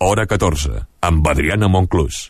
Hora 14, amb Adriana Monclús.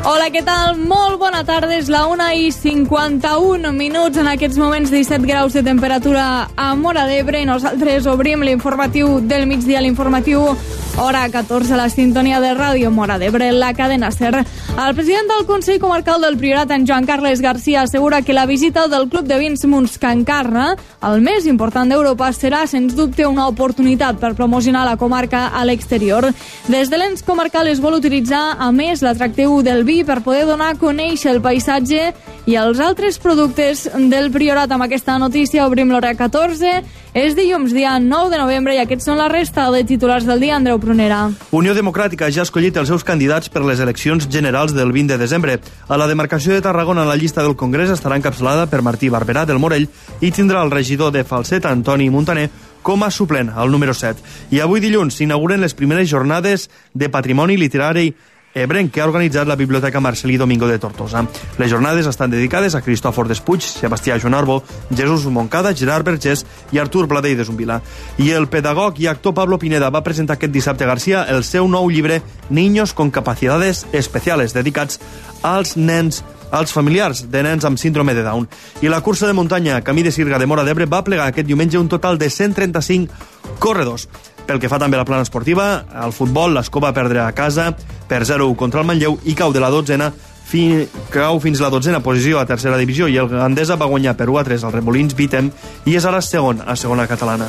Hola, què tal? Molt bona tarda, és la 1:51 en aquests moments, 17 graus de temperatura a Móra d'Ebre, i nosaltres obrim l'informatiu del migdia, l'informatiu Hora 14, a la sintonia de Ràdio Móra d'Ebre, la cadena SER. El president del Consell Comarcal del Priorat, en Joan Carles Garcia, assegura que la visita del Club de Vins Mons-Can-Carna, el més important d'Europa, serà, sens dubte, una oportunitat per promocionar la comarca a l'exterior. Des de l'ens comarcal es vol utilitzar, a més, l'atractiu del vi per poder donar a conèixer el paisatge i els altres productes del Priorat. Amb aquesta notícia obrim l'Hora 14. És dilluns, dia 9 de novembre, i aquests són la resta de titulars del dia. Andreu Prunera. Unió Democràtica ja ha escollit els seus candidats per les eleccions generals del 20 de desembre. A la demarcació de Tarragona, la llista del Congrés estarà encapçalada per Martí Barberà del Morell i tindrà el regidor de Falset, Antoni Muntaner, com a suplent, al número 7. I avui dilluns s'inauguren les primeres jornades de patrimoni literari ebrenc que ha organitzat la Biblioteca Marcelí Domingo de Tortosa. Les jornades estan dedicades a Cristòfor Despuig, Sebastià Jonarbo, Jesús Moncada, Gerard Vergés i Artur Bladell de Zumbila. I el pedagog i actor Pablo Pineda va presentar aquest dissabte a Garcia el seu nou llibre Niños con capacidades especiales, dedicats als nens, als familiars de nens amb síndrome de Down. I la cursa de muntanya Camí de Sirga de Móra d'Ebre va plegar aquest diumenge un total de 135 corredors. Pel que fa també a la plana esportiva, al futbol, l'Escó va perdre a casa per 0-1 contra el Manlleu i cau fins la 12a posició a tercera divisió, i el Gandesa va guanyar per 1-3 al Remolins Vitem i és ara segon a segona catalana.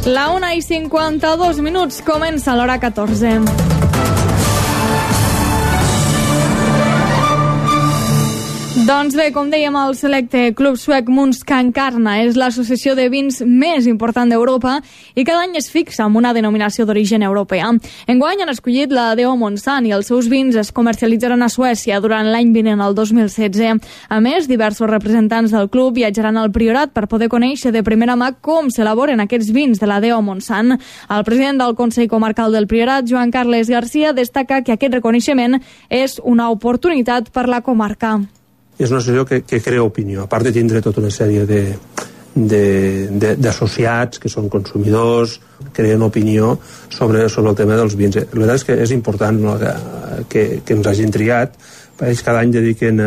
La 1:52, comença l'Hora 14. Doncs bé, com dèiem, el selecte Club Suec Mons-Can-Carna és l'associació de vins més important d'Europa i cada any es fixa amb una denominació d'origen europea. Enguany han escollit la Deo Monsanto i els seus vins es comercialitzaran a Suècia durant l'any vinent, el 2016. A més, diversos representants del club viatjaran al Priorat per poder conèixer de primera mà com s'elaboren aquests vins de la Deo Monsanto. El president del Consell Comarcal del Priorat, Joan Carles Garcia, destaca que aquest reconeixement és una oportunitat per la comarca. És una associació que crea opinió, a part de tindre tota una sèrie d'associats que són consumidors, creen opinió sobre el tema dels vins. La veritat és que és important, no, que ens hagin triat. Ells cada any dediquen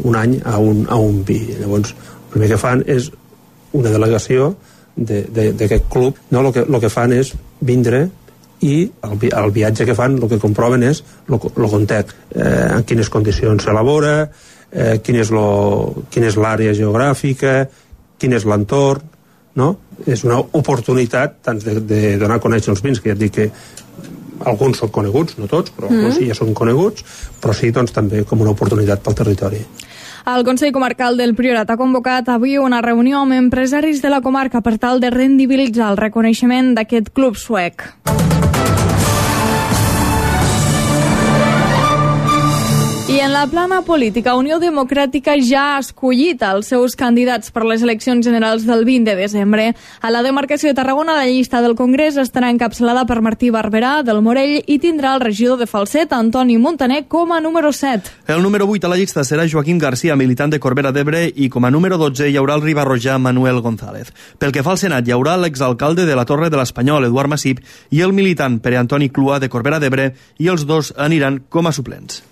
un any a un vi. Llavors, el primer que fan és una delegació d'aquest club. No, el que fan és vindre, i el viatge que fan el que comproven és el context, en quines condicions s'elabora, quina és l'àrea geogràfica, quin és l'entorn, no? És una oportunitat tant de donar a conèixer els vins, que ja et dic que alguns són coneguts, no tots, però alguns sí ja són coneguts, però sí, doncs, també com una oportunitat pel territori. El Consell Comarcal del Priorat ha convocat avui una reunió amb empresaris de la comarca per tal de rendibilitzar el reconeixement d'aquest club suec. I en la plana política, Unió Democràtica ja ha escollit els seus candidats per les eleccions generals del 20 de desembre. A la demarcació de Tarragona, la llista del Congrés estarà encapçalada per Martí Barberà del Morell i tindrà el regidor de Falset, Antoni Muntaner, com a número 7. El número 8 a la llista serà Joaquim Garcia, militant de Corbera d'Ebre, i com a número 12 hi haurà el ribarrojà Manuel González. Pel que fa al Senat, hi haurà l'exalcalde de la Torre de l'Espanyol, Eduard Massip, i el militant Pere Antoni Clua de Corbera d'Ebre, i els dos aniran com a suplents.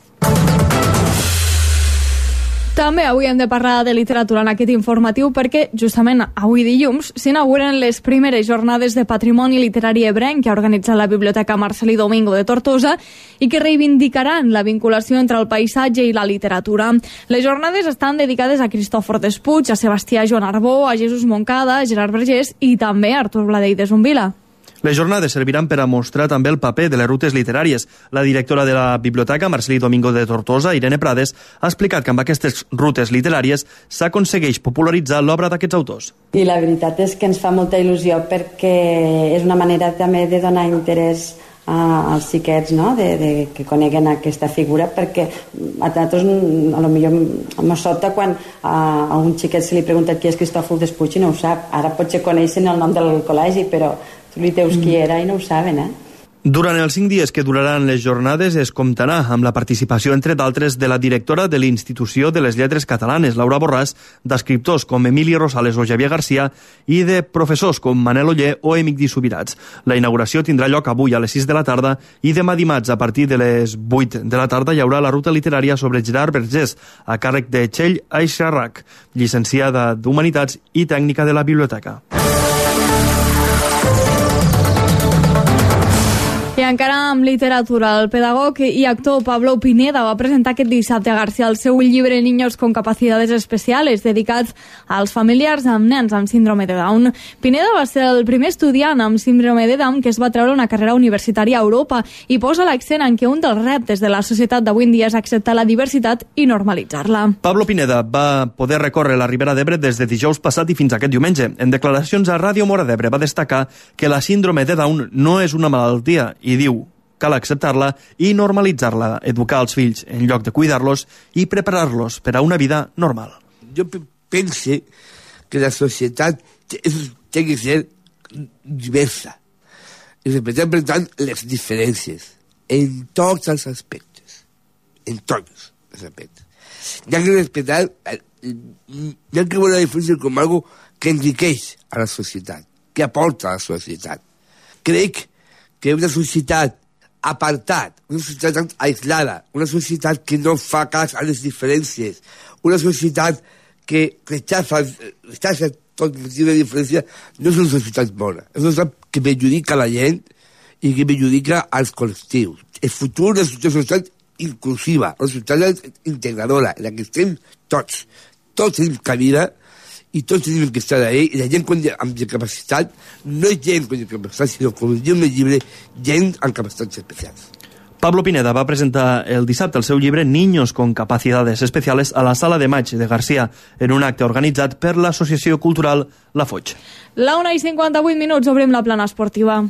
També avui hem de parlar de literatura en aquest informatiu perquè justament avui dilluns s'inauguren les primeres jornades de patrimoni literari ebrenc que ha organitzat la Biblioteca Marcelí Domingo de Tortosa i que reivindicaran la vinculació entre el paisatge i la literatura. Les jornades estan dedicades a Cristòfor Despuig, a Sebastià Jonarbo, a Jesús Moncada, a Gerard Vergés i també a Artur Bladell de Zumbila. Les jornades serviran per a mostrar també el paper de les rutes literàries. La directora de la Biblioteca, Marcelí Domingo de Tortosa, Irene Prades, ha explicat que amb aquestes rutes literàries s'aconsegueix popularitzar l'obra d'aquests autors. I la veritat és que ens fa molta il·lusió perquè és una manera també de donar interès als xiquets, no? de que coneguen aquesta figura, perquè a nosaltres a lo millor ens sobta quan a un xiquet se li pregunta qui és Cristòfor Despuig i no ho sap. Ara potser coneixen el nom del col·legi, però tu li dius qui era i no ho saben, Durant els 5 dies que duraran les jornades es comptarà amb la participació, entre d'altres, de la directora de l'Institució de les Lletres Catalanes, Laura Borràs, d'escriptors com Emili Rosales o Xavier Garcia i de professors com Manel Oller o Emigdi Subirats. La inauguració tindrà lloc avui a les 6 de la tarda i demà dimarts a partir de les 8 de la tarda hi haurà la ruta literària sobre Gerard Vergés, a càrrec de Txell Aixarrac, llicenciada d'Humanitats i tècnica de la biblioteca. I encara amb literatura, el pedagog i actor Pablo Pineda va presentar aquest dissabte a Garcia el seu llibre Niños con capacidades especiales, dedicats als familiars amb nens amb síndrome de Down. Pineda va ser el primer estudiant amb síndrome de Down que es va treure una carrera universitària a Europa i posa l'accent en que un dels reptes de la societat d'avui en dia és acceptar la diversitat i normalitzar-la. Pablo Pineda va poder recórrer la Ribera d'Ebre des de dijous passat i fins aquest diumenge. En declaracions a Ràdio Mora d'Ebre va destacar que la síndrome de Down no és una malaltia i diu: cal acceptar-la i normalitzar-la, educar els fills en lloc de cuidar-los i preparar-los per a una vida normal. Jo penso que la societat té que ser diversa i respetar, per tant, les diferències en tots els aspectes. En tots els aspectes. Hi ha que respetar, hi ha que veure la diferència com algo que enriqueix a la societat, que aporta a la societat. Crec que una societat apartat, una societat aislada, una societat que no fa cas a les diferències, una societat que rechaza tot motiu de diferència, no és una societat bona. És una societat que perjudica la gent i que perjudica als col·lectius. El futur és una societat inclusiva, una societat integradora, en la que estem tots. Tots tenim cabida i tots tenim que estar ahí, i la gent amb discapacitat no és gent amb discapacitat, sinó, com diu en el llibre, gent amb capacitats especials. Pablo Pineda va presentar el dissabte el seu llibre Niños con capacidades especiales a la Sala de Maig de Garcia, en un acte organitzat per l'Associació Cultural La Foix. La 1:58, obrim la plana esportiva.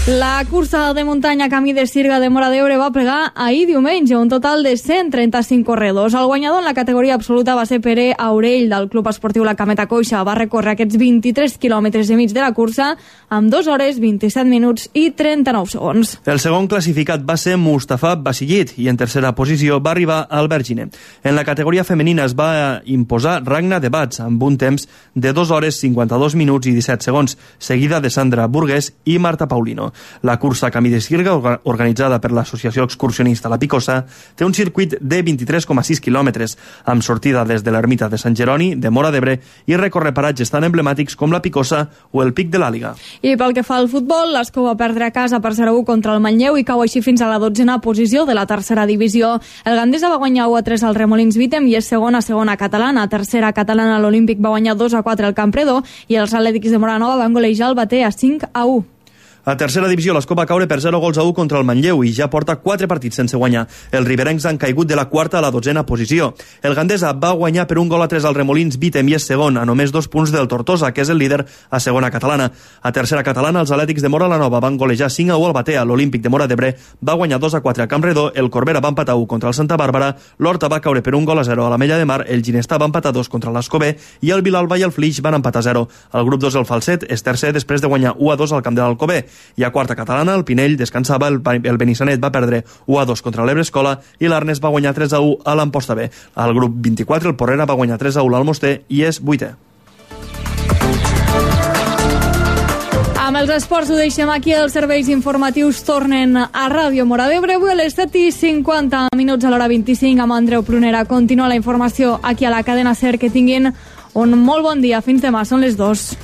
La cursa de muntanya Camí de Sirga de Móra d'Ebre va plegar ahir diumenge un total de 135 corredors. El guanyador en la categoria absoluta va ser Pere Aurell, del Club Esportiu La Cameta Coixa. Va recórrer aquests 23 quilòmetres i mig de la cursa amb 2 hores, 27 minuts i 39 segons. El segon classificat va ser Mustafa Basillit i en tercera posició va arribar Albert Giner. En la categoria femenina es va imposar Ragna de Bats amb un temps de 2 hores, 52 minuts i 17 segons, seguida de Sandra Burgués i Marta Paulino. La cursa Camí de Sirga, organitzada per l'Associació Excursionista La Picosa, té un circuit de 23,6 quilòmetres, amb sortida des de l'ermita de Sant Jeroni, de Móra d'Ebre, i recorre paratges tan emblemàtics com La Picosa o el Pic de l'Àliga. I pel que fa al futbol, l'Escó va perdre a casa per 0-1 contra el Manlleu i cau així fins a la 12a posició de la tercera divisió. El Gandesa va guanyar 1-3 al Remolins Vitem i és segona catalana. Tercera catalana, l'Olímpic va guanyar 2-4 al Campredó i els Atlètics de Moranova van golejar el Bater a 5-1. A tercera divisió, l'Escó va caure per 0-1 contra el Manlleu i ja porta 4 partits sense guanyar. Els riberencs han caigut de la 4a a la 12a posició. El Gandesa va guanyar per 1-3 al Remolins Vitem i és segon, a només 2 punts del Tortosa, que és el líder a segona catalana. A tercera catalana, els Atlètics de Móra la Nova van golejar 5-1 al Batea. L'Olímpic de Móra d'Ebre va guanyar 2-4 a Campredó, el Corbera va empatar 1 contra el Santa Bàrbara, l'Horta va caure per 1-0 a la Mella de Mar, el Ginestà va empatar 2 contra l'Escobé i el Vilalba i el Flix van empatar 0. El grup 2, el Falset, és tercer després de guanyar 1-2 al camp de l'Alcobé. I a quarta catalana, el Pinell descansava, el Benissanet va perdre 1-2 contra l'Ebre Escola i l'Arnes va guanyar 3-1 a l'Amposta B. Al grup 24, el Porrera va guanyar 3-1 a l'Almoster i és 8è. Amb els esports ho deixem aquí, els serveis informatius tornen a Ràdio Mora d'Ebre avui a les 7:50 a l'hora 25 amb Andreu Prunera. Continua la informació aquí a la cadena SER. Que tinguin un molt bon dia. Fins demà, són les 2.